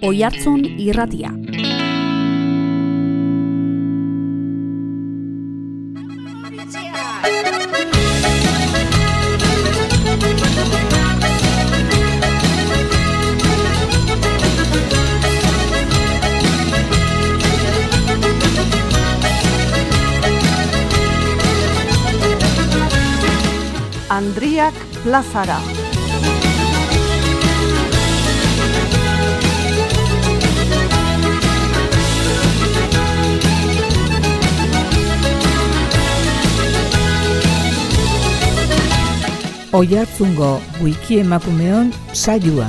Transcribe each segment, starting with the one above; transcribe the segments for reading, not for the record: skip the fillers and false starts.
Oihartzun Irratia. Andriak plazara. Oihartzungo wiki emakumeon saioa.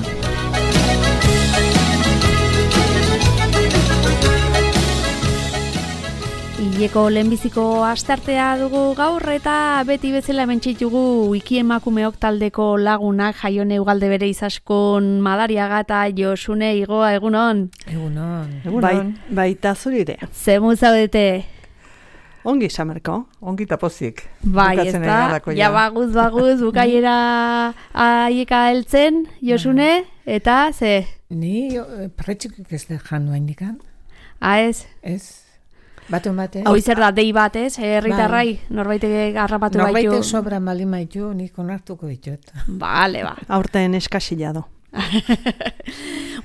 Hileko lehenbiziko astartea dugu gaur eta beti bezala hementzitugu wiki emakumeok taldeko lagunak Jaione Ugalde bere izaskun Madariaga eta Josune Igoa egunon. Egunon. Baita zurire. Zemu zaudete? Ongi samerko. Ongi tapozik. Bai, ez da, ja baguz, bukaiera aieka heltzen, Josune, eta ze? Ni pretxikik ez da jan nuen dikan. Ez? Ez. Batun bate. Hau zer da, dei bat ez, herritarrai, norbaitek garrapatu baitu. Norbaitek sobra malin baitu, nik onartuko ditut. Bale, ba. Aurten eskasila do.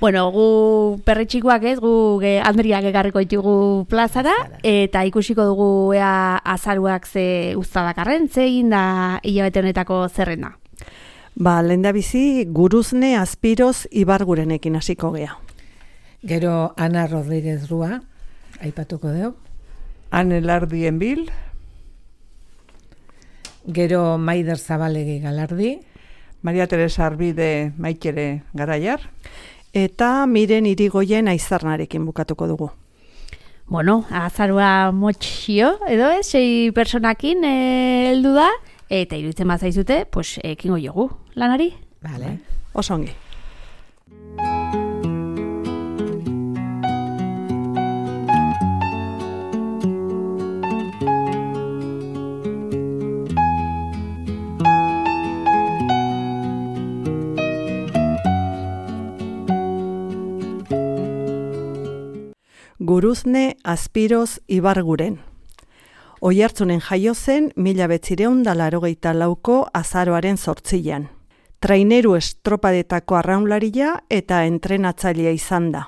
Bueno, gu perretxikoak ez, gu Andriak ekarriko ditugu plazara, eta ikusiko dugu ea azaruak ze uztadakarren, ze egin da hilabete honetako zerrenda. Ba, lehendabizi Guruzne Azpiroz Ibargurenekin hasiko gea. Gero Ana Rodríguez Rua, aipatuko dugu. Ane Lardien Bil. Gero Maider Zabalegi Galardi. Maria Teresa Arbide Maikere Garaiar. Eta Miren Irigoyen Aizarnarekin bukatuko dugu. Bueno, azarua motxio, edo ez, 6 personakin heldu da, eta iruditzen bazaizute, pues, ekingo jogu lanari. Vale. Osongi. Guruzne Azpiroz Ibarguren. Oihartzunen jaio zen 1984ko azaroaren 8an. Traineru estropadetako arraunlaria eta entrenatzailea izan da.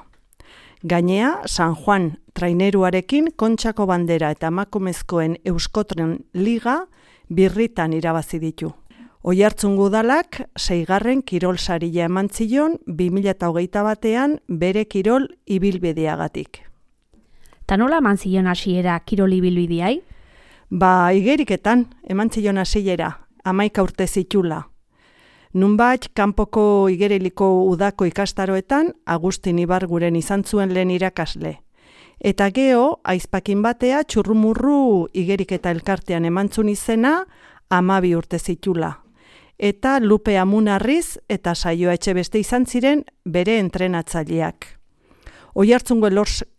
Gainea, San Juan traineruarekin Kontxako Bandera eta emakumezkoen Euskotren Liga birritan irabazi ditu. Oihartzun udalak 6. kirol saria eman zion 2021an bere kirol ibilbideagatik. Ta nola eman zion hasiera kirol ibilbideai? Ba, igeriketan eman zion hasiera, 11 urte zitula. Nunbait kanpoko igeriliko udako ikastaroetan Agustin Ibarguren izan zuen lehen irakasle. Eta geho, aizpakin batea txurrumurru igeriketa elkartean emantzun izena 12 urte zitula. Eta Lupe Amunarriz eta Saioa Etxebeste izan ziren bere entrenatzaileak. Oihartzungo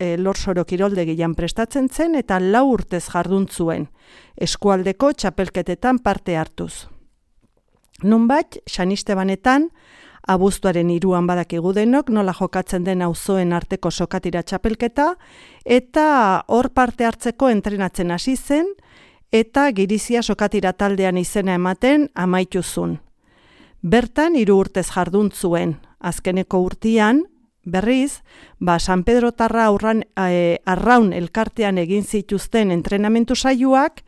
Elorsoro kiroldegian prestatzen zen eta 4 urtez jardun zuen, eskualdeko txapelketetan parte hartuz. Nunbait, San Estebanetan, abuztuaren 3an badakigu denok nola jokatzen den auzoen arteko sokatira txapelketa, eta hor parte hartzeko entrenatzen hasi zen, eta Girizia sokatira taldean izena ematen amaitu zuen. Bertan 3 urtez jardun zuen, azkeneko urtean, berriz, San Pedro Tarra arraun elkartean egin zituzten entrenamentu saioak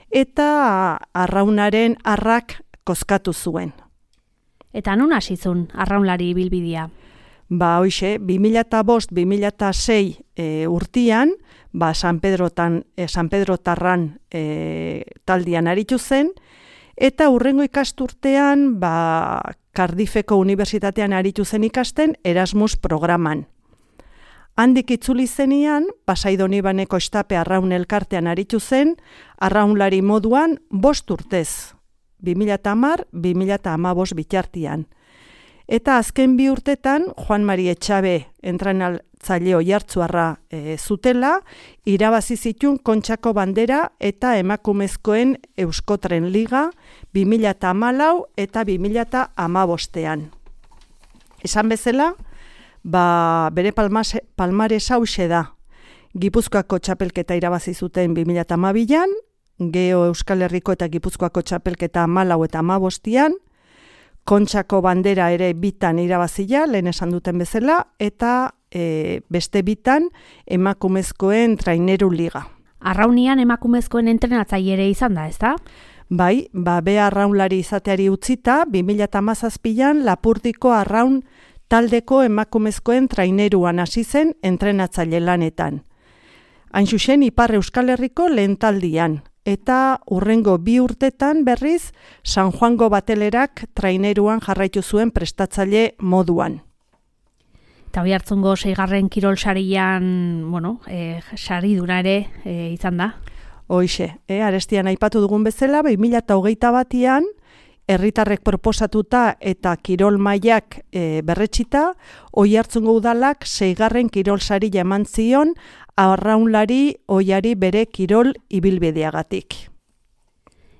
eta arraunaren arrak kozkatu zuen. Eta non hasi zuen arraunlari ibilbidea? Ba, hoixe, 2005-2006 urtean, San Pedro Tarran taldean aritu zen, eta hurrengo ikasturtean, Cardiffeko Unibertsitatean aritu zen ikasten Erasmus programan. Handik itzuli zenian, Pasai Donibaneko estape arraun elkartean aritu zen, arraunlari moduan 5 urtez, 2010-2015 bitartian. Eta azken 2 urtetan, Juan Mari Etxabe entrenatzaile oihartzuarra zutela, irabazi zituen Kontxako Bandera eta emakumezkoen Euskotren Liga 2014 eta 2015ean. Esan bezala, bere palmares hauxe da. Gipuzkoako txapelketa irabazi zuten 2012an, Geo Euskal Herriko eta Gipuzkoako txapelketa 14 eta 15an, Kontxako bandera ere 2tan irabazia, lehen esan duten bezala, eta beste 2tan emakumezkoen traineru liga. Arraunian emakumezkoen entrenatzaile ere izan da, ezta? Bai, bea arraunlari izateari utzita, 2017an Lapurdiko arraun taldeko emakumezkoen traineruan hasi zen entrenatzaile lanetan. Hain zuzen, Ipar Euskal Herriko lehen taldian, eta hurrengo 2 urtetan berriz San Juango Batelerak traineruan jarraitu zuen prestatzaile moduan. Eta hori hartzungo 6. kirol sarian, sariduna ere izan da. Hoixe, arestian aipatu dugun bezala, 2021an, herritarrek proposatuta eta kirol mailak berretsita, Oiartzungo udalak 6. kirol saria eman zion arraunlari oiari bere kirol ibilbideagatik.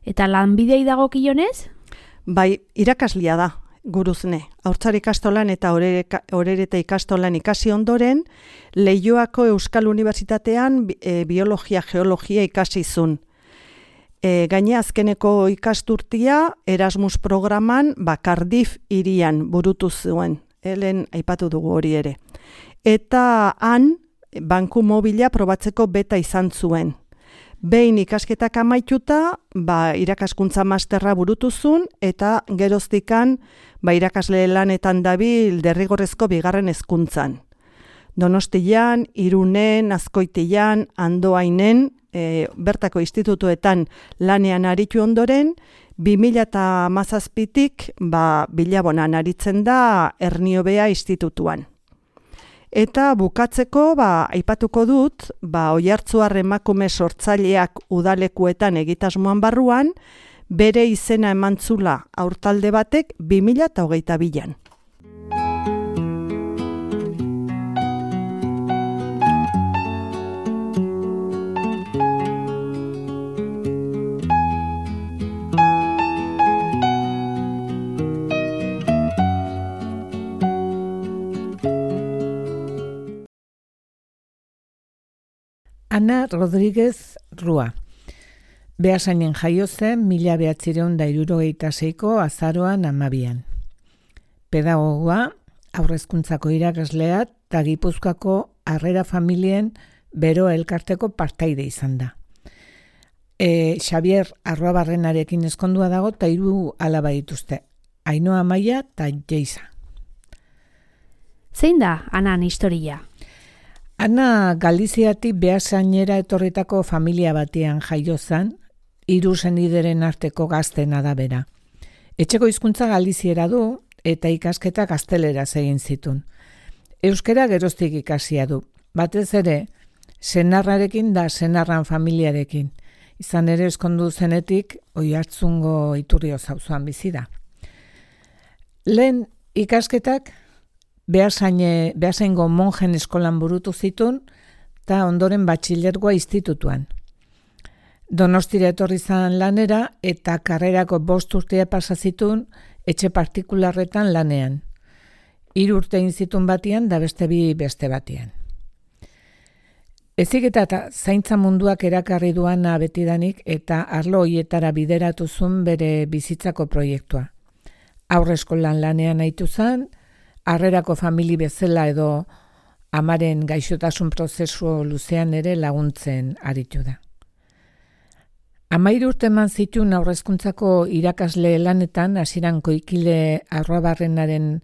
Eta lanbidei dagokionez? Bai, irakaslia da, guruzne. Haurtzar ikastolan eta Orereta ikastolan ikasi ondoren, Leioako Euskal Unibertsitatean biologia, geologia ikasi zuen. Gaine azkeneko ikasturtia Erasmus programan Cardiff hirian burutu zuen, helen aipatu dugu hori ere. Eta han, banku mobila probatzeko beta izan zuen. Behin ikasketak amaituta, irakaskuntza masterra burutu zuen, eta geroztikan irakasle lanetan dabil derrigorrezko 2. hezkuntzan. Donostian, Irunen, Azkoitian, Andoainen, bertako institutuetan lanean aritu ondoren, 2017tik Bilabonan aritzen da Erniobea institutuan. Eta bukatzeko, aipatuko dut, Oiartzuar emakume sortzaileak udalekuetan egitasmoan barruan, bere izena emantzula aurtalde batek 2022an. Ana Rodríguez Rua. Beasainen jaio zen 1976ko azaroan 12an. Pedagogoa, haurrezkuntzako irakaslea eta Gipuzkoako Harrera Familien Bero elkarteko partaide izan da. Xavier Arruabarrenarekin ezkondua dago eta 3 alaba dituzte. Ainhoa, Amaia eta Jeisa. Zein da Anan historia? Ana Galiziatik Beasainera etorritako familia batean jaio zen, 3 senideren arteko gaztena da bera. Etxeko hizkuntza galiziera du eta ikasketa gazteleraz egin zituen. Euskara geroztik ikasia du, batez ere senarrarekin da senarran familiarekin. Izan ere ezkondu zenetik Oiartzungo Iturrioz auzoan bizi da. Lehen ikasketak Beasaingo monjen eskolan burutu zituen eta ondoren batxilergoa institutuan. Donostira etorri zan lanera eta karrerako 5 urtea pasa zituen etxe partikularretan lanean. 3 urte egin zituen batian da beste 2 beste batian. Heziketa eta zaintza munduak erakarri duana betidanik eta arlo hoietara bideratu zuen bere bizitzako proiektua. Haurreskolan lanean aitu zen, harrerako famili bezala edo amaren gaixotasun prozesu luzean ere laguntzen aritu da. 13 urte eman zituen haurrezkuntzako irakasle lanetan, hasieran Koikile Arruabarrenaren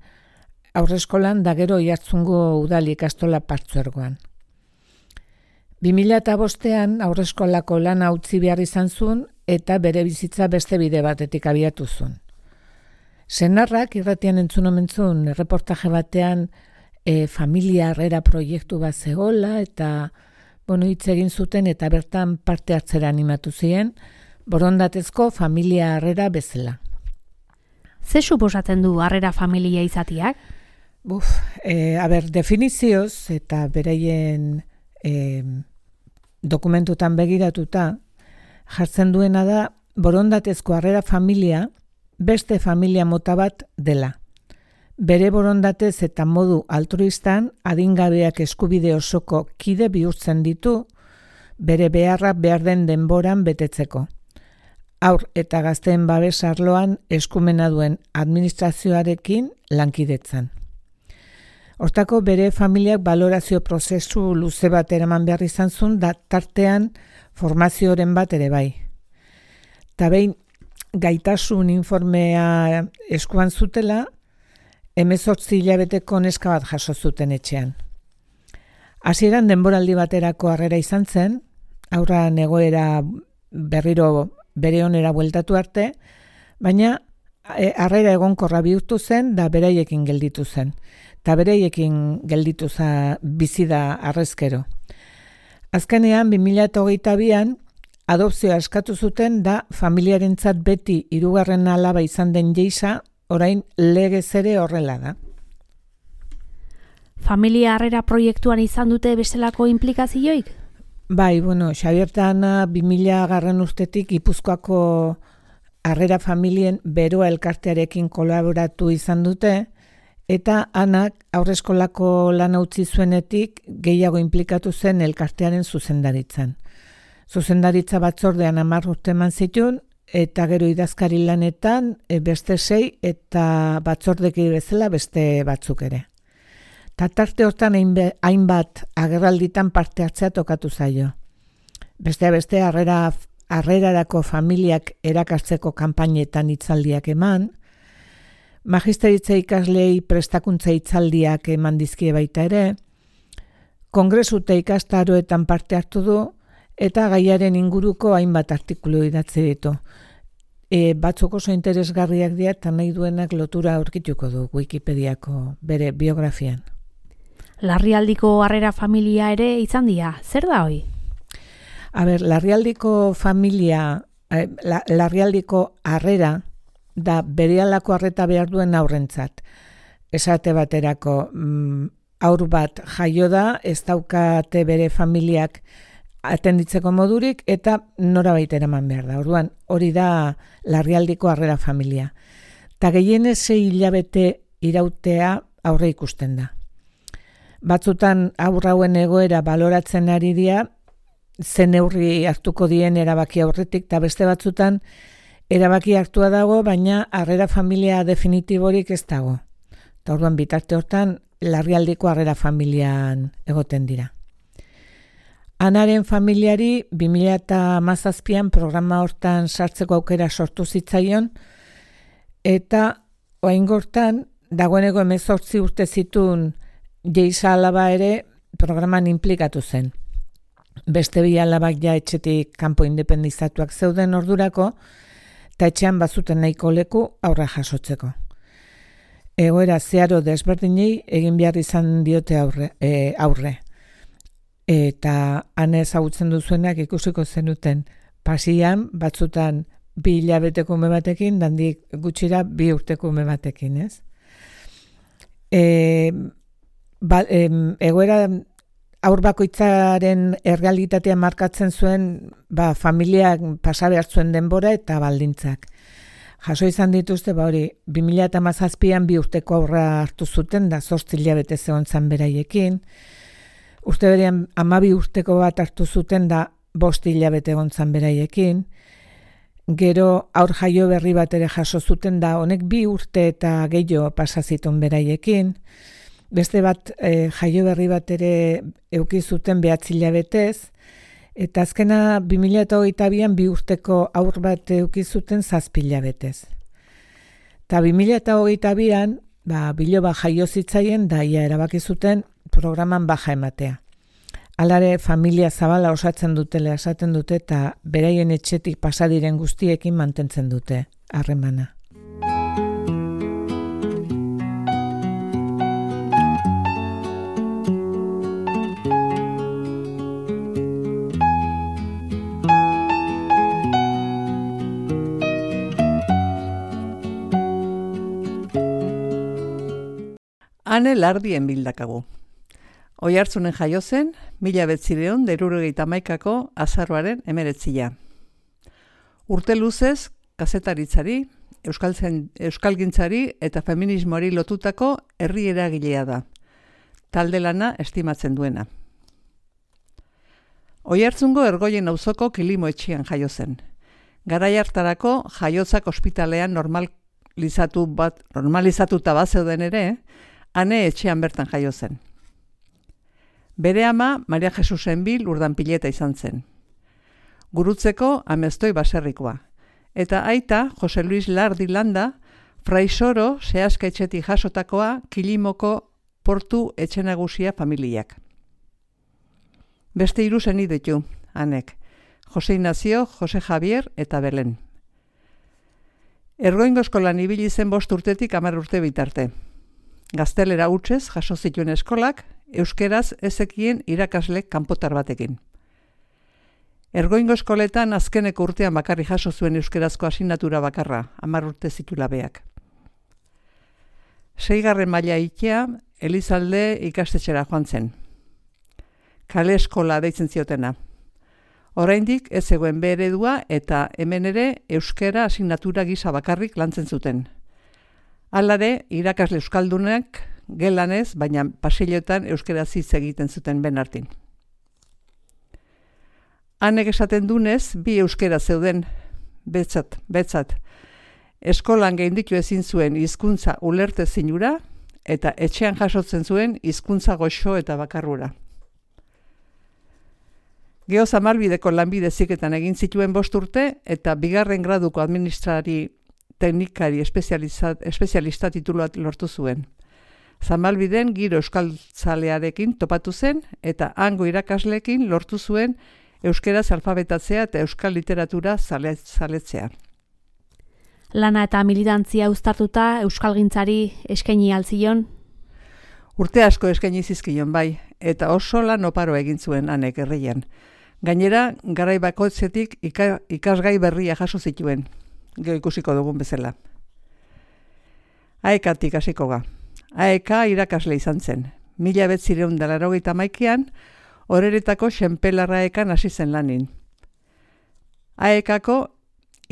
haurreskolan da gero Oiartzungo udal ikastola partzuergoan. 2005an haurreskolako lana utzi behar izan zuen eta bere bizitza beste bide batetik abiatu zuen. Senarrak irratian entzun omen zuen erreportaje batean familia harrera proiektu bat zegoela eta hitz egin zuten eta bertan parte hartzera animatu ziren, borondatezko familia harrera bezala. Ze suposatzen du harrera familia izatiak? Definizioz eta beraien dokumentutan begiratuta jartzen duena da borondatezko harrera familia beste familia mota bat dela. bere borondatez eta modu altruistan adingabeak eskubide osoko kide bihurtzen ditu, bere beharra behar den denboran betetzeko. Haur eta gazteen babes arloan eskumena duen administrazioarekin lankidetzan. Hortako bere familiak balorazio prozesu luze bat eraman behar izan zuen, da tartean formazioren bat ere bai. Ta behin gaitasun informea eskuan zutela, 18 hilabeteko neska bat jaso zuten etxean. Hasieran denboraldi baterako harrera izan zen, haurra egoera berriro bere onera bueltatu arte, baina harrera egonkorra bihurtu zen da beraiekin gelditu zen. Eta beraiekin gelditu bizi da harrezkero. Azkenean 2022an adopzioa eskatu zuten da familiarentzat beti 3. alaba izan den Jeisa, orain legez ere horrela da. Familia harrera proiektuan izan dute bestelako implikazioik? Bai, Xabier eta Ana 2000 urtetik Gipuzkoako harrera familien beroa elkartearekin kolaboratu izan dute, eta Anak haurreskolako lana utzi zuenetik gehiago implikatu zen elkartearen zuzendaritzan. Zuzendaritza batzordean 10 urte eman zituen, eta gero idazkari lanetan beste 6 eta batzordeki bezala beste batzuk ere. Ta tarte hortan hainbat agerralditan parte hartzea tokatu zaio. Beste harrerarako familiak erakartzeko kanpainetan hitzaldiak eman, magisteritza ikaslei prestakuntza hitzaldiak eman dizkie baita ere, kongresu eta ikastaroetan parte hartu du, eta gaiaren inguruko hainbat artikulu idatzi ditu. Batzuk oso interesgarriak dira eta nahi duenak lotura aurkituko du Wikipediako bere biografian. Larrialdiko harrera familia ere izan dira, zer da hoi? Larrialdiko harrera da berehalako harreta behar duen haurrentzat. Esate baterako, haur bat jaio da, ez daukate bere familiak atenditzeko modurik eta norabait eraman behar da. Orduan, hori da larrialdiko harrera familia. Ta gehienez 6 hilabete irautea aurre ikusten da. Batzutan haur hauen egoera baloratzen ari dira, zen neurri hartuko dien erabaki aurretik, eta beste batzutan erabaki hartua dago, baina harrera familia definitiborik ez dago. Eta orduan bitarte hortan larrialdiko harrera familian egoten dira. Anaren familiari 2017an programa hortan sartzeko aukera sortu zitzaion, eta oraingortan dagoeneko 18 urte zituen Jeisa alaba ere programan implikatu zen. Beste 2 alabak ja etxetik kanpo independizatuak zeuden ordurako, eta etxean bazuten nahiko leku aurra jasotzeko. Egoera zeharo desberdinei egin behar izan diote aurre. Eta han ezagutzen duzuenak ikusiko zenuten pasian batzutan 2 hilabeteko ume batekin, dandik gutxira 2 urteko ume batekin, ez? Egoera haur bakoitzaren errealitatea markatzen zuen familiak pasa behar zuen denbora eta baldintzak. Jaso izan dituzte, 2017an 2 urteko aurra hartu zuten, da 8 hilabete zegoen zan beraiekin. Urte berean 12 urteko bat hartu zuten, da 5 hilabete egon zan beraiekin. Gero aur jaio berri bat ere jaso zuten, da honek 2 urte eta gehiago pasa zituen beraiekin. Beste bat jaio berri bat ere eduki zuten 9 hilabetez, eta azkena 2022an 2 urteko aur bat eduki zuten 7 hilabetez. Eta 2022an biloba jaio zitzaien, da ia erabaki zuten programan baja ematea. Alare familia zabala osatzen dutela esaten dute, eta beraien etxetik pasadiren guztiekin mantentzen dute harremana. Ane Lardien bildakagu. Oiartzunen jaio zen, 1971ko azaroaren 19. Urte luzez, kazetaritzari euskalgintzari eta feminismoari lotutako herri eragilea da. Talde lana estimatzen duena. Oiartzungo Ergoien auzoko Kilimo etxean jaio zen. Garai hartarako jaiotzak ospitalean normalizatuta bazeuden ere, ane etxean bertan jaio zen. Bere ama Maria Jesusen Bil Urdanpileta izan zen. Gurutzeko Amestoi baserrikoa. Eta aita Jose Luis Lardi Landa, Fraisoro Seaska etxetik jasotakoa Kilimoko portu etxe nagusia familiak. Beste 3 seni ditu, anek. Jose Ignacio, Jose Javier eta Belen. Ergoingo eskolan ibili zen 5 urtetik 10 urte bitarte. Gaztelera hutsez jaso zituen eskolak, euskeraz ezekien irakaslek kanpotar batekin. Ergoingo eskoletan azkeneko urtean bakarri jaso zuen euskerazko asignatura bakarra, 10 urte zitula beak. 6. maila ikea, Elizalde ikastetxera joan zen. Kale eskola deitzen ziotena. Oraindik ez zegoen B eredua eta hemen ere euskera asignatura gisa bakarrik lantzen zuten. Halare, irakasle euskaldunak gelanez, baina pasilloetan euskaraz hitz egiten zuten ben artin. Hanek esaten dunez, 2 euskera zeuden, betzat. Eskolan gainditu ezin zuen hizkuntza ulertezinura eta etxean jasotzen zuen hizkuntza goxo eta bakarrura. Geozamalbideko lanbide heziketan egin zituen 5 urte eta 2. graduko administrari teknikari espezialista titulua lortu zuen. Zamalbiden giro euskaltzalearekin topatu zen eta hango irakasleekin lortu zuen euskeraz alfabetatzea eta euskal literatura zaletzea. Lana eta militantzia uztartuta euskalgintzari eskaini altzion? Urte asko eskaini zizkion bai, eta oso lan oparo egin zuen anek herrian. Gainera, garai bakoitzetik ikasgai berria jaso zituen, gero ikusiko dugun bezala. AEK-tik hasiko ga. AEK irakasle izan zen. 1981an, Oreretako Xenpelarra AEK-an hasi zen lanin. AEK-ko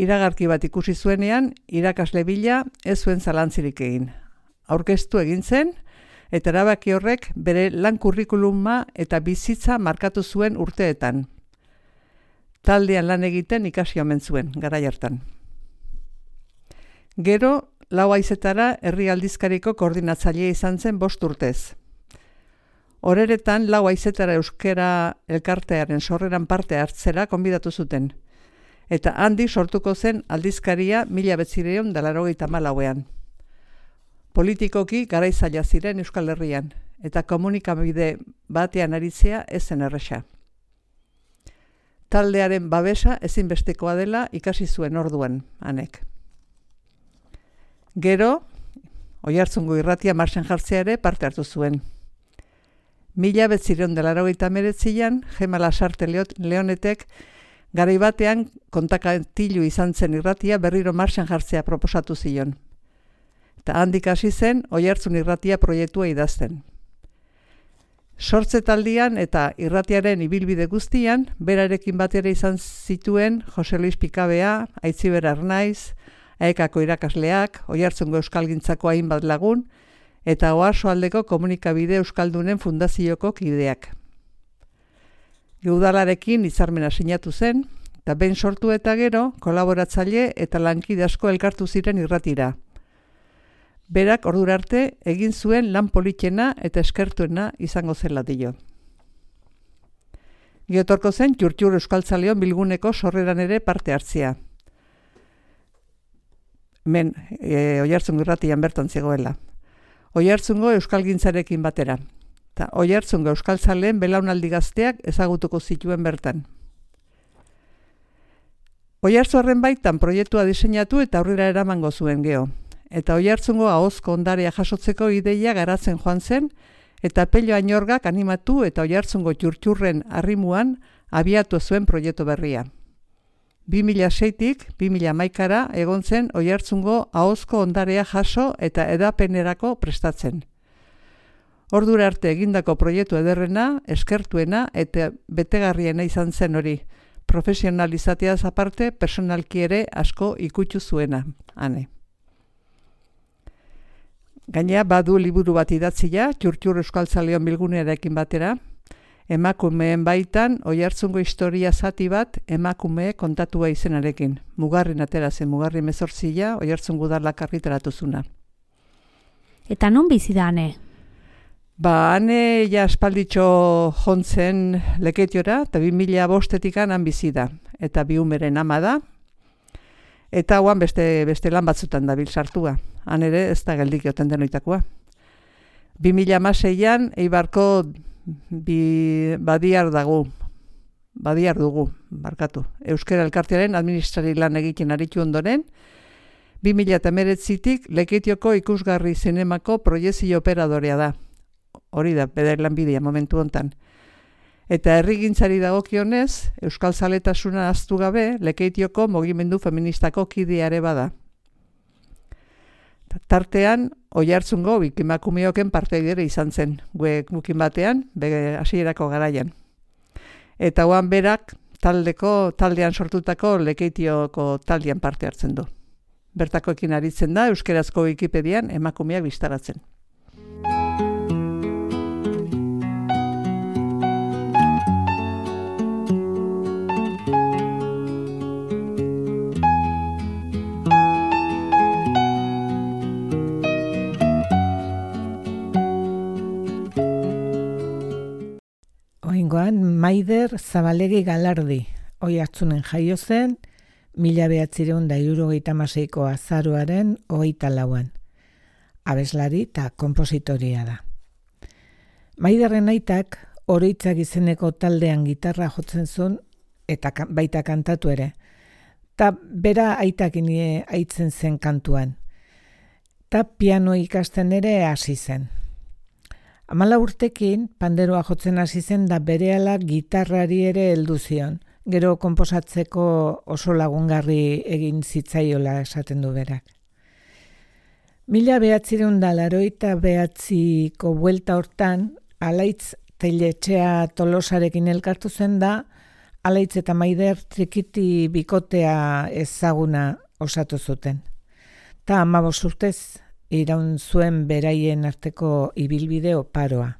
iragarki bat ikusi zuenean, irakasle bila ez zuen zalantzirik egin. Aurkeztu egin zen, eta erabaki horrek bere lan kurrikuluma eta bizitza markatu zuen urteetan. Taldean lan egiten ikasi omen zuen, garai hartan. Gero, 4 haizetara herri aldizkariko koordinatzailea izan zen 5 urtez. Oreretan 4 haizetara euskera elkartearen sorreran parte hartzera konbidatu zuten. Eta handik sortuko zen aldizkaria 1984an. Politikoki garaizaila ziren Euskal Herrian, eta komunikabide batean aritzea ez zen erresa. Taldearen babesa ezinbestekoa dela ikasi zuen orduan, anek. Gero, Oiartzungo irratia martxan jartzea ere parte hartu zuen. 1989an, Gema Lasarte Leonetek garai batean kontakatilu izan zen irratia berriro martxan jartzea proposatu zion. Eta handik hasi zen Oiartzun irratia proiektua idazten. Sortzetaldian eta irratiaren ibilbide guztian, berarekin batera izan zituen Jose Luis Pikabea, Aitziber Arnaiz, AEK-ko irakasleak, Oiartzungo euskalgintzako hainbat lagun, eta Oarsoaldeko komunikabide euskaldunen fundazioko kideak. Udalarekin hitzarmena sinatu zen, eta behin sortu eta gero, kolaboratzaile eta lankide asko elkartu ziren irratira. Berak ordura arte egin zuen lan politena eta eskertuena izango zela dio. Geotorko zen Txurtxur Euskaltzaleon bilguneko sorreran ere parte hartzea. Oiartzungo irratian bertan zegoela. Oiartzungo euskalgintzarekin batera. Eta Oiartzungo euskaltzaleen belaunaldi gazteak ezagutuko zituen bertan. Oiartzuarren baitan proiektua diseinatu eta aurrera eramango zuen geo. Eta Oiartzungo ahozko ondarea jasotzeko ideia garatzen joan zen, eta Pello Añorgak animatu eta Oiartzungo Txurtxurren arrimuan abiatu zuen proiektu berria. 2006tik 2011ra egon zen Oiartzungo ahozko ondarea jaso eta edapenerako prestatzen. Ordura arte egindako proiektu ederrena, eskertuena eta betegarriena izan zen hori. Profesionalizateaz aparte, personalki ere asko ikutsu zuena, ane. Gainera, badu liburu bat idatzia, Txurtxur Euskaltzaleon bilgunearekin batera, emakumeen baitan, Oiartzungo historia zati bat, emakume kontatua izenarekin. Mugarrin atera zen, Mugarri 18, Oiartzungo udalak argitaratu zuna. Eta non bizi da ane? Ane ja aspalditxo jontzen Leketiora, eta 2005 han bizi da. Eta 2 umeren ama da, eta hauan beste lan batzutan dabil sartua. Han ere ez da geldik joten denoitakoa. 2016an Eibarko badiar dugu, barkatu. Euskara Elkartearen administrari lan egiten aritu ondoren, 2019tik Leketioko ikusgarri zinemako proiezio operadorea da. Hori da, beder lanbidea momentu hontan. Eta herrigintzari dagokionez, Euskal Zaletasuna ahaztu gabe, Leketioko mugimendu feministako kideare bada. Tartean, Oiartzungo emakumeoken parteidere izan zen, gukin batean, hasierako garaian. Eta hoan berak taldean sortutako Leketioko taldean parte hartzen du. Bertakoekin aritzen da, euskerazko Wikipedian emakumeak bistaratzen. Oingoan, Maider Zabalegi Galardi, Oiartzunen jaio zen, 1976ko azaroaren 24an. Abeslari eta konpositoria da. Maiderren aitak Oroitzak izeneko taldean gitarra jotzen zuen eta baita kantatu ere. Ta bera aitakin aitzen zen kantuan. Ta piano ikasten ere hasi zen. 14 urtekin panderoa jotzen hasi zen da berehala gitarrari ere heldu zion. Gero konposatzeko oso lagungarri egin zitzaiola esaten du berak. 1989ko buelta hortan, Alaitz Teiletxea Tolosarekin elkartu zen da, Alaitz eta Maider Trikiti bikotea ezaguna osatu zuten. Ta 15 urtez iraun zuen beraien arteko ibilbide oparoa.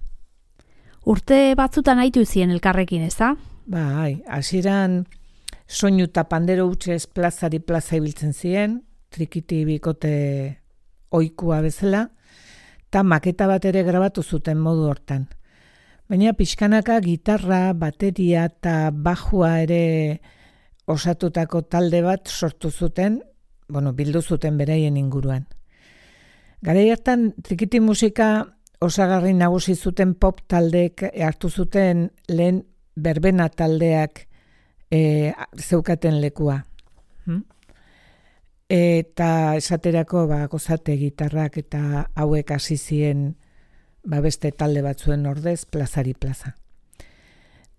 Urte batzutan aitu zien elkarrekin, ez da? Bai, hasieran soinu eta pandero hutsez plazari plaza ibiltzen ziren, Trikiti bikote ohikua bezala, eta maketa bat ere grabatu zuten modu hortan. Baina pixkanaka gitarra, bateria eta bajua ere osatutako talde bat sortu zuten, bildu zuten beraien inguruan. Garai hartan Trikiti musika osagarri nagusi zuten pop taldeek hartu zuten lehen berbena taldeak zeukaten lekua. Eta esaterako gozate gitarrak eta hauek hasi ziren beste talde batzuen ordez plazari plaza.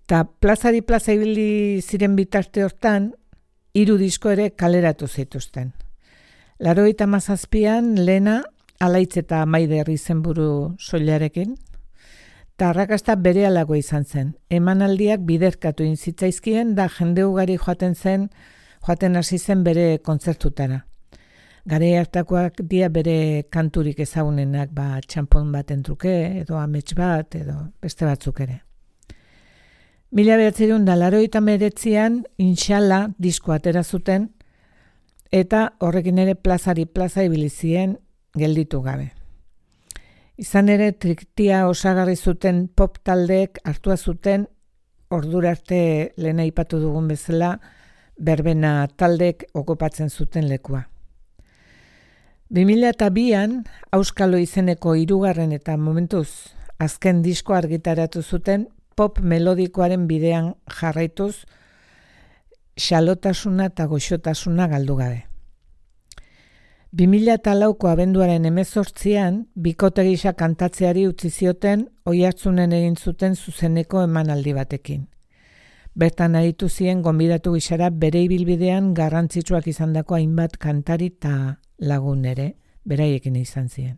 Ta plazari plaza ibili ziren bitarte hortan 3 disko ere kaleratu zituzten. 87an lehena Alaitz eta Maider izenburu soilarekin, eta arrakasta berehalako izan zen. Emanaldiak biderkatu zitzaizkien da jende ugari joaten hasi zen bere kontzertutara. Garai hartakoak dira bere kanturik ezagunenak, txanpon baten truke, edo amets bat, edo beste batzuk ere. 1989an Inshallah disko atera zuten, eta horrekin ere plazari plaza ibili ziren gelditu gabe. Izan ere, Trikitia osagarri zuten pop taldeek hartua zuten ordura arte lehen aipatu dugun bezala berbena taldeek okupatzen zuten lekua. 2002an Auskalo izeneko 3. eta momentuz azken disko argitaratu zuten pop melodikoaren bidean jarraituz xalotasuna eta goxotasuna galdu gabe. 2004ko abenduaren 18an bikote gisa kantatzeari utzi zioten Oiartzunen egin zuten zuzeneko emanaldi batekin. Bertan aritu ziren gonbidatu gisara bere ibilbidean garrantzitsuak izandako hainbat kantari eta lagun ere beraiekin izan ziren.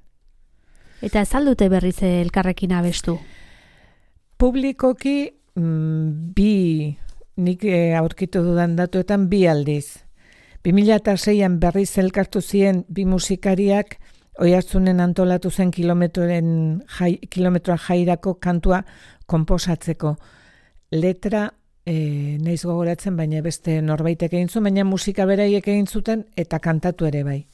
Eta ez aldute berriz elkarrekin abestu? Publikoki nik aurkitu dudan datuetan 2 aldiz. 2006an berriz elkartu ziren 2 musikariak Oiartzunen antolatu zen kilometroa jairako kantua konposatzeko. Letra naiz gogoratzen, baina beste norbaitek egin zuen, baina musika beraiek egin zuten eta kantatu ere bai.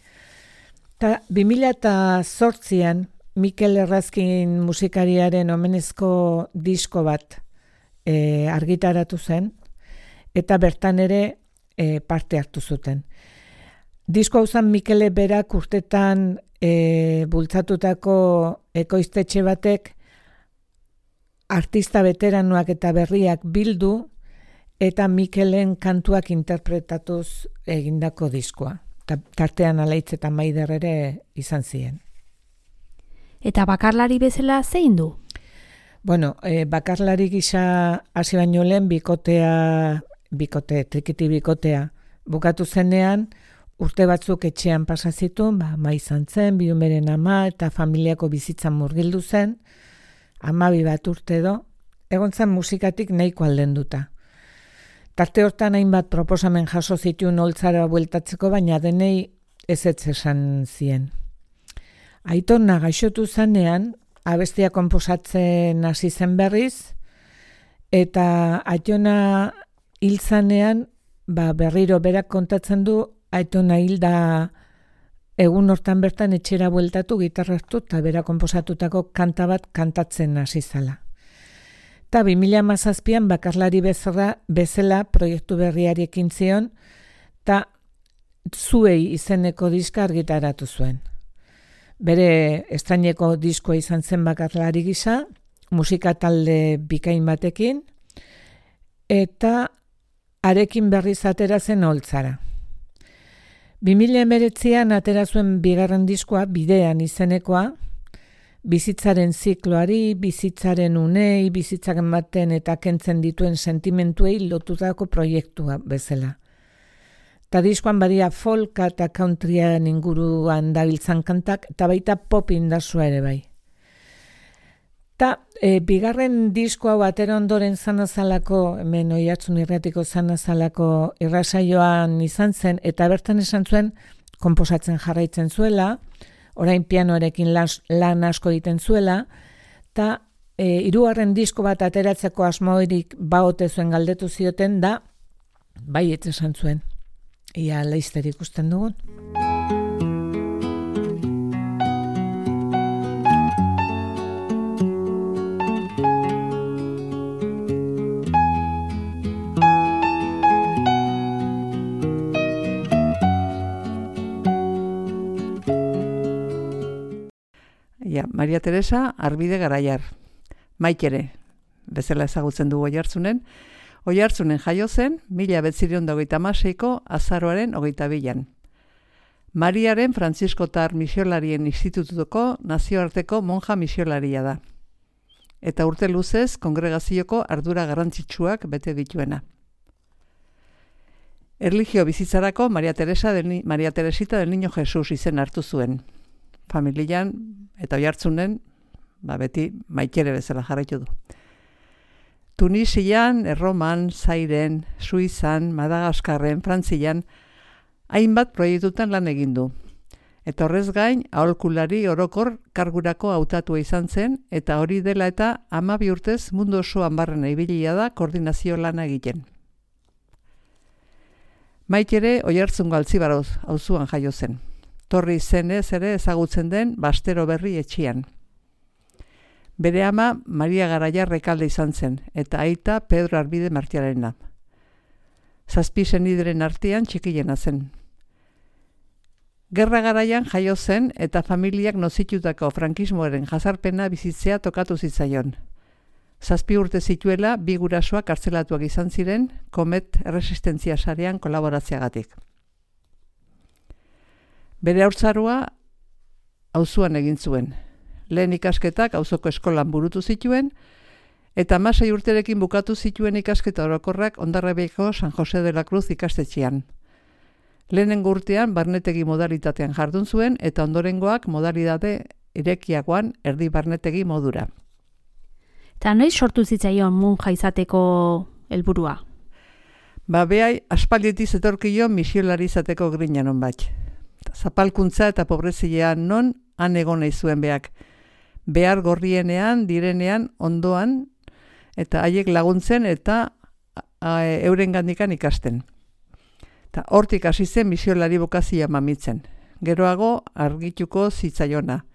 Ta 2008an Mikel Errazkin musikariaren omenezko disko bat argitaratu zen, eta bertan ere parte hartu zuten. Disko hau zen Mikele berak urtetan bultzatutako ekoiztetxe batek artista veteranoak eta berriak bildu eta Mikelen kantuak interpretatuz egindako diskoa. Tartean Alaitz eta Maider ere izan ziren. Eta bakarlari bezala zein du? Bueno, bakarlari gisa hasi baino lehen trikiti bikotea bukatu zenean, urte batzuk etxean pasa zituen, ama izan zen, biumeren ama eta familiako bizitzan murgildu zen, 12 bat urte edo, egon zen musikatik nahiko aldenduta. Tarte hortan hainbat proposamen jaso zituen holtzara bueltatzeko, baina denei ezetz esan zien. Aitona gaixotu zanean, abestia konposatzen hasi zen berriz, eta Aitona hil zanean, berriro berak kontatzen du, Aitona hilda egun hortan bertan etxera bueltatu, gitarra hartu eta berak konposatutako kanta bat kantatzen hasi zala. Eta 2017an bakarlari bezala proiektu berriari ekin zion, eta Zuei izeneko diska argitaratu zuen. Bere estraineko diskoa izan zen bakarlari gisa, musika talde bikain batekin, eta arekin berriz atera zen holtzara. 2019an atera zuen bigarren diskoa, Bidean izenekoa, bizitzaren zikloari, bizitzaren unei, bizitzaren baten eta kentzen dituen sentimentuei lotutako proiektua bezala. Eta diskoan badia folka eta countryan inguruan dabiltzan kantak, eta baita pop indazua ere bai. Eta bigarren disko hau atera ondoren zanazalako, hemen Oiartzun irratiko zanazalako irrasaioan izan zen, eta bertan esan zuen konposatzen jarraitzen zuela, orain pianoarekin lan asko egiten zuela, eta hirugarren disko bat ateratzeko asmoirik baote zuen galdetu zioten da, bai esan zuen. Ia laizter ikusten dugun. Maria Teresa Arbide Garaiar. Maitere, bezala ezagutzen dugu Oiartzunen. Oiartzunen jaio zen 1936ko azaroaren 22an. Mariaren Frantziskotar Misiolarien Institutuko nazioarteko monja misiolaria da. Eta urte luzez kongregazioko ardura garrantzitsuak bete dituena. Erlijio bizitzarako Maria Teresita del Niño Jesus izen hartu zuen. Familian eta Oiartzunen beti Maitere bezala jarraitu du. Tunisian, Erroman, Zairen, Suizan, Madagaskarren, Frantzian, hainbat proiektutan lan egin du. Eta horrez gain, aholkulari orokor kargurako hautatua izan zen, eta hori dela eta 12 urtez mundu osoan barrena ibilia da koordinazio lana egiten. Maitere Oiartzungo Altzibaroz auzuan jaio zen. Torri izenez ere ezagutzen den Bastero Berri etxian. Bere ama Maria Garaiar Rekalde izan zen, eta aita Pedro Arbide Martiarena. 7 senideren artean txikiena zen. Gerra garaian jaio zen eta familiak nozitutako frankismoaren jazarpena bizitzea tokatu zitzaion. 7 urte zituela 2 gurasoak kartzelatuak izan ziren Komet erresistentzia sarean kolaboratzeagatik. Bere haurtzaroa auzuan egin zuen. Lehen ikasketak auzoko eskolan burutu zituen, eta 16 urterekin bukatu zituen ikasketa orokorrak Hondarribiko San Jose de la Cruz ikastetxean. Lehenengo urtean barnetegi modalitatean jardun zuen, eta ondorengoak modalitate irekiagoan erdi barnetegi modura. Eta noiz sortu zitzaion monja izateko helburua? Behai aspaldietik zetorkio misiolari izateko grina non bat. Zapalkuntza eta pobrezilean non han egon nahi zuen beak. Behar gorrienean, direnean, ondoan, eta haiek laguntzen eta euren gandikan ikasten. Eta hortik hasi zen misiolari bokazioa mamitzen. Geroago argituko zitzaiona.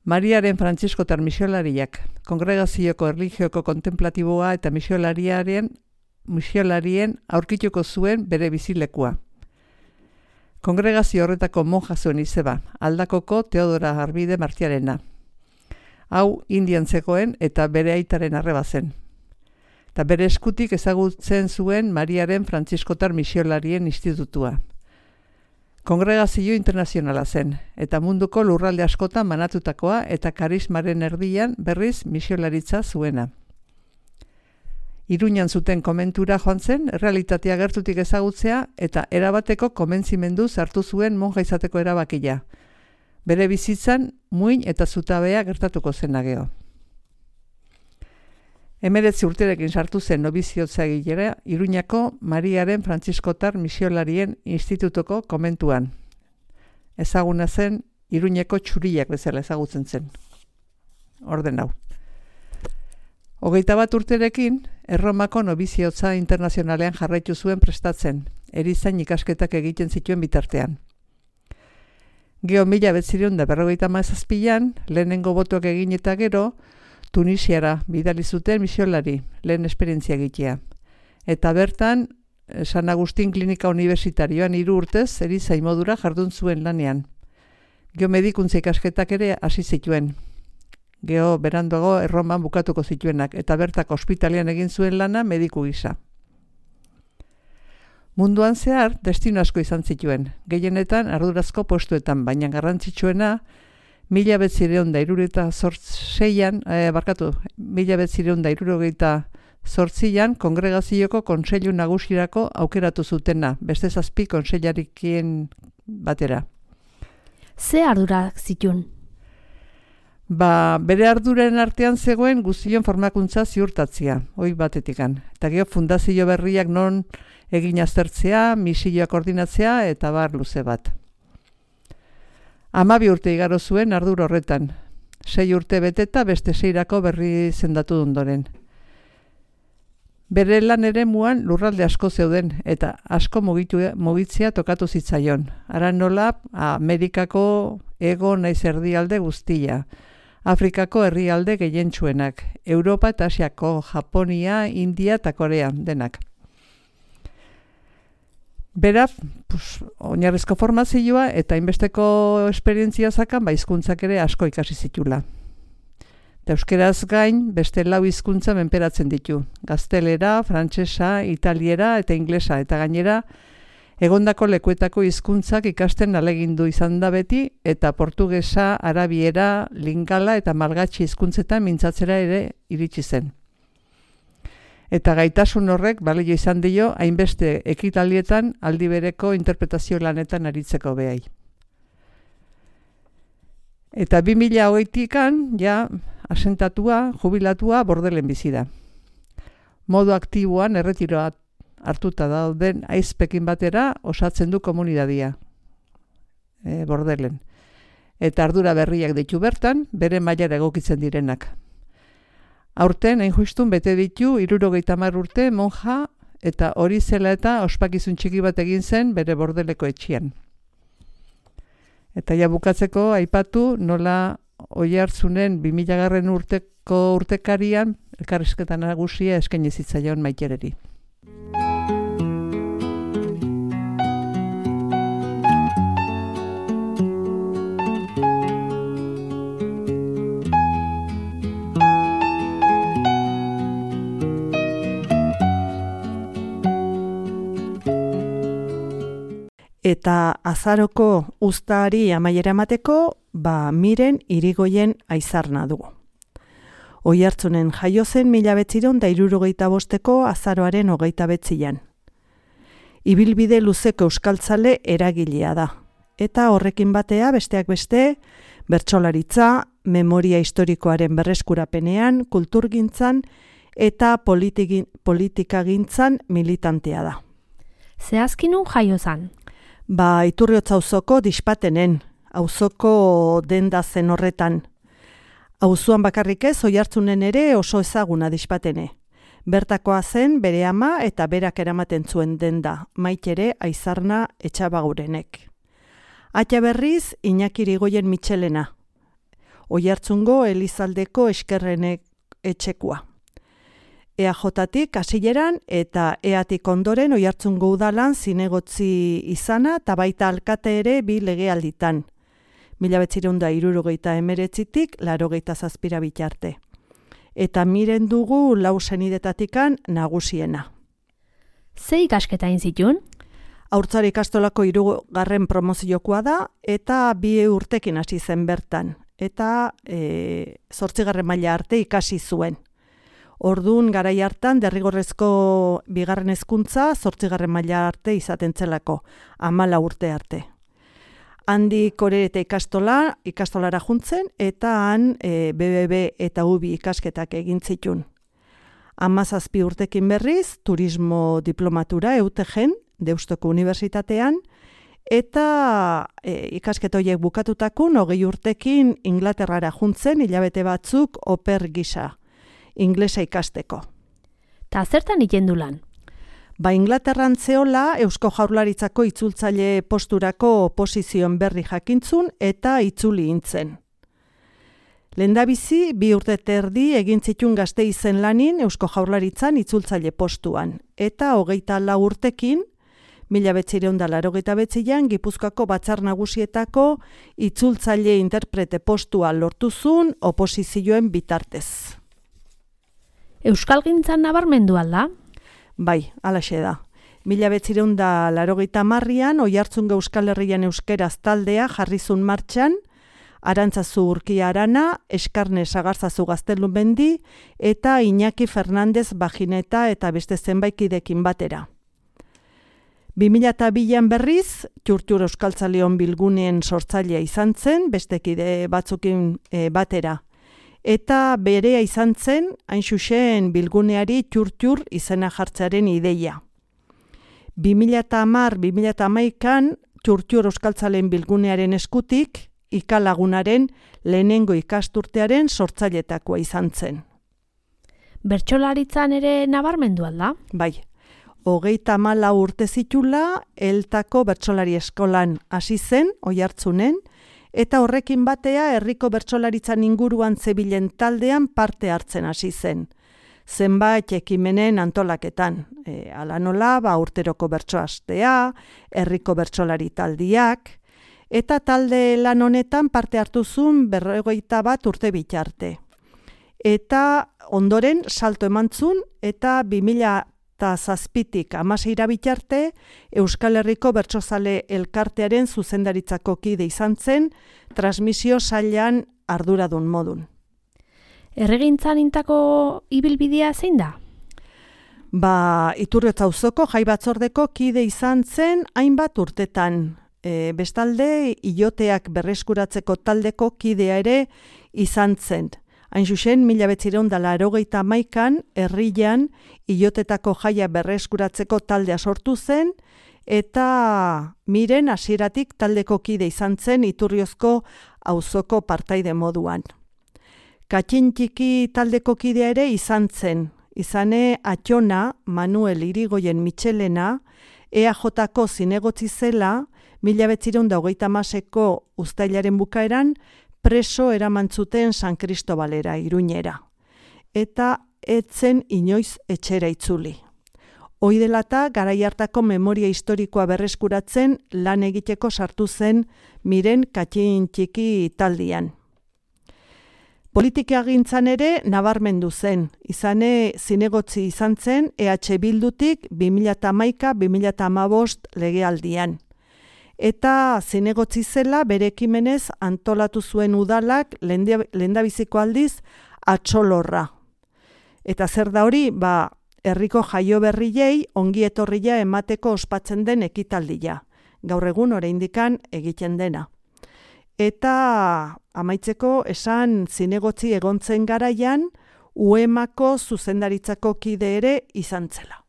Mariaren Frantziskotar misiolariak, kongregazioko erligioko kontemplatiboa eta misiolarien aurkituko zuen bere bizilekua. Kongregazio horretako monja zuen izeba, Aldakoko Teodora Arbide Martiarena. Hau Indian zegoen eta bere aitaren arreba zen. Eta bere eskutik ezagutzen zuen Mariaren Frantziskotar misiolarien institutua. Kongregazio internazionala zen, eta munduko lurralde askotan banatutakoa eta karismaren erdian berriz misiolaritza zuena. Iruñan zuten komentura joan zen, realitatea gertutik ezagutzea eta erabateko komentzimendu hartu zuen monja izateko erabakia. Bere bizitzan, muin eta zutabea gertatuko zen geho. 19 urterekin sartu zen nobiziotza egilera Iruñako Mariaren Frantziskotar misiolarien institutoko komentuan. Ezaguna zen Iruñeko txuriak bezala ezagutzen zen. Orden hau. 21 urterekin, Erromako nobiziotza internazionalean jarraitu zuen prestatzen, erizain ikasketak egiten zituen bitartean. Geo 1957an, lehenengo botoak egin eta gero, Tunisiara bidali zuten misiolari, lehen esperientzia egitea. Eta bertan, San Agustin Klinika Universitarioan 3 urtez erizain modura jardun zuen lanean. Geo medikuntza ikasketak ere hasi zituen. Geo beranduago Erroman bukatuko zituenak, eta bertako ospitalean egin zuen lana mediku gisa. Munduan zehar, destino asko izan zituen, gehienetan ardurazko postuetan, baina garrantzitsuena 1968an kongregazioko kontseilu nagusirako aukeratu zutena, beste 7 kontseilarikien batera. Ze ardurak zituen? Bere arduren artean zegoen guztion formakuntza ziurtatzea, hoi batetikan. Eta gero fundazio berriak non egin aztertzea, misioa koordinatzea eta bar luze bat. 12 urte igaro zuen ardur horretan. 6 urte beteta beste 6rako berri zendatu ondoren. Bere lan ere muan lurralde asko zeuden eta asko mugitzea tokatu zitzaion. Ara nola Amerikako hego naiz erdialde guztia. Afrikako herrialde gehientsuenak, Europa eta Asiako, Japonia, India eta Korea denak. Bera, oinarrizko formazioa eta inbesteko esperientzia zakan, hizkuntzak ere asko ikasi zitula. Euskeraz gain, beste 4 hizkuntza menperatzen ditu. Gaztelera, frantsesa, italiera eta inglesa, eta gainera, egondako lekuetako hizkuntzak ikasten ahalegindu izan da beti, eta portugesa, arabiera, lingala eta malgatxi hizkuntzetan mintzatzera ere iritsi zen. Eta gaitasun horrek balio izan dio hainbeste ekitaldietan aldi bereko interpretazio lanetan aritzeko behai. Eta 2008an, ja, asentatua, jubilatua, Bordelen bizi da. Modu aktiboan erretiroa hartuta dauden aizpekin batera osatzen du komunidadia, Bordelen. Eta ardura berriak ditu bertan, bere mailara egokitzen direnak. Aurten, hain justun, bete ditu 70 urte monja eta hori zela eta ospakizun txiki bat egin zen bere Bordeleko etxean. Eta ja bukatzeko aipatu nola Oiartzunen 2000 urteko urtekarian elkarrizketa nagusia eskaini zitzaion Maitereri. Eta azaroko uztaari amaiera emateko, Miren Irigoyen aizarna dugu. Oiartzunen jaio zen 1965ko azaroaren 29an. Ibilbide luzeko euskaltzale eragilea da. Eta horrekin batea besteak beste, bertsolaritza, memoria historikoaren berreskurapenean, kulturgintzan eta politikagintzan militantea da. Zehazki nun jaio zan? Iturriotz auzoko Dispatenen, auzoko denda zen horretan. Auzoan bakarrik ez, Oiartzunen ere oso ezaguna dispatene. Bertakoa zen bere ama eta berak eramaten zuen denda, Maitere Aizarna Etxabagurenek. Atxa berriz, Iñaki Irigoyen Mitxelena, Oiartzungo Elizaldeko Eskerrenek etxekua. EAJ-tik hasieran eta EAtik ondoren Oiartzungo udalan zinegotzi izana eta baita alkate ere 2 legealditan. 1979tik 87 bitarte. Eta miren dugu 4 senidetatikan nagusiena. Ze ikasketa egin zituen? Haurtzaro ikastolako 3. promoziokoa da eta 2 urtekin hasi zen bertan. Eta 8. maila arte ikasi zuen. Orduan garai hartan derrigorrezko 2. hezkuntza 8. maila arte izaten zelako, 14 urte arte. Handik Orereta ikastolara juntzen eta han BBB eta UBI ikasketak egin zituen. 17 urtekin berriz, turismo diplomatura EUTEGen, Deustoko Unibertsitatean, eta ikasketa horiek bukatutakun 20 urtekin Inglaterrara juntzen hilabete batzuk oper gisa, inglesa ikasteko. Ta zertan ikendu lan? Inglaterran zeola Eusko Jaurlaritzako itzultzaile posturako oposizioen berri jakintzun eta itzuli intzen. Lehendabizi 2 urte terdi egin zituen Gasteizen lanin Eusko Jaurlaritzan itzultzaile postuan, eta 24 urtekin 1989an Gipuzkoako Batzar Nagusietako itzultzaile interprete postua lortuzun oposizioen bitartez. Euskalgintzan nabarmendu alda? Bai, alaxe da. 1980an Oiartzungo Euskal Herrian euskeraz taldea jarrizun martxan, Arantzazu Urkia Arana, Eskarne Sagarzazu Gaztelumendi eta Iñaki Fernandez Bajineta eta beste zenbaikidekin batera. 2002an berriz, Txurtxur Euskaltzaleon bilguneen sortzailea izan zen, beste kide batzukin batera. Eta berea izan zen, hain xuxen bilguneari Txurtxur izena jartzearen ideia. 2010-2011an Txurtxur Euskaltzaleen bilgunearen eskutik, Ikalagunaren lehenengo ikasturtearen sortzailetakoa izan zen. Bertsolaritzan ere nabarmendu alda? Bai, 34 urte zitula Eltako bertsolari eskolan hasi zen, Oiartzunen, eta horrekin batea herriko bertsolaritzan inguruan zebilen taldean parte hartzen hasi zen. Zenbait ekimenen antolaketan, hala nola, urteroko bertsoastea, herriko bertsolari taldiak, eta talde lan honetan parte hartuzun 41 urte bitarte. Eta ondoren salto emantzun eta 2007tik 16 bitarte Euskal Herriko Bertsozale Elkartearen zuzendaritzako kide izan zen, transmisio sailean arduradun modun. Erregintzan intako ibilbidea zein da? Iturriotz auzoko jai batzordeko kide izan zen hainbat urtetan. Bestalde, iloteak berreskuratzeko taldeko kidea ere izan zen. Hain zuzen, 1981an herrian ilotetako jaia berreskuratzeko taldea sortu zen, eta miren hasieratik taldeko kide izan zen Iturriozko auzoko partaide moduan. Katxintxiki taldeko kidea ere izan zen, izane Atxona, Manuel Irigoyen Mitxelena, EAJ-ko zinegotzi zela, 1936ko uztailaren bukaeran preso eramantzuten San Kristobalera, Iruñera. Eta etzen inoiz etxera itzuli. Hoi dela eta garai hartako memoria historikoa berreskuratzen lan egiteko sartu zen miren Katxintxiki taldian. Politikagintzan ere nabarmendu zen, izane zinegotzi izan zen EH Bildutik 2011-2015 legealdian. Eta zinegotzi zela bere ekimenez antolatu zuen udalak lehendabiziko aldiz atxolorra. Eta zer da hori, herriko jaio berriei ongi etorria emateko ospatzen den ekitaldia. Gaur egun oraindikan egiten dena. Eta amaitzeko esan zinegotzi egontzen garaian, UEMako zuzendaritzako kide ere izan zela.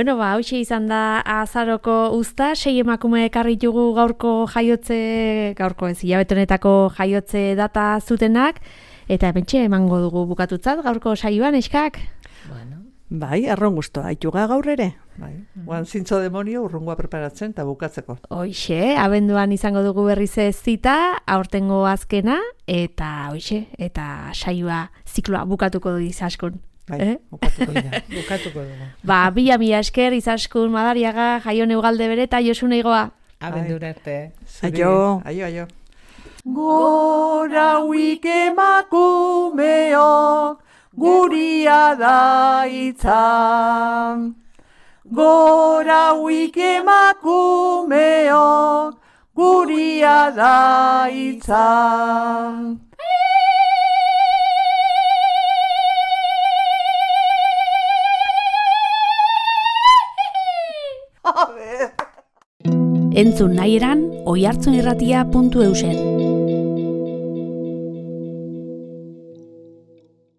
Bueno, hoxe izan da azaroko uzta, 6 emakume ekarritugu gaurko hilabete honetako jaiotze data zutenak, eta pentxe emango dugu bukatutzat gaurko saioan, eskak? Bueno. Bai, arron guztua, aituga gaur ere. Bai, guan zintzo demonio urrungoa preparatzen eta bukatzeko. Hoxe, abenduan izango dugu berriz ez zita, aurtengo azkena, eta saioa zikloa bukatuko du Izaskun. Bai, bukatuko dugu. Mila esker, Izaskun, Madariaga, Jaion Ugalde bere eta Josune Igoa. Abendura arte. Aio. Aio. Gora huik emakumeok, guria da itzan. Gora huik emakumeok, guria da itzan. Entzun nahi eran, oihartzunirratia.eusen.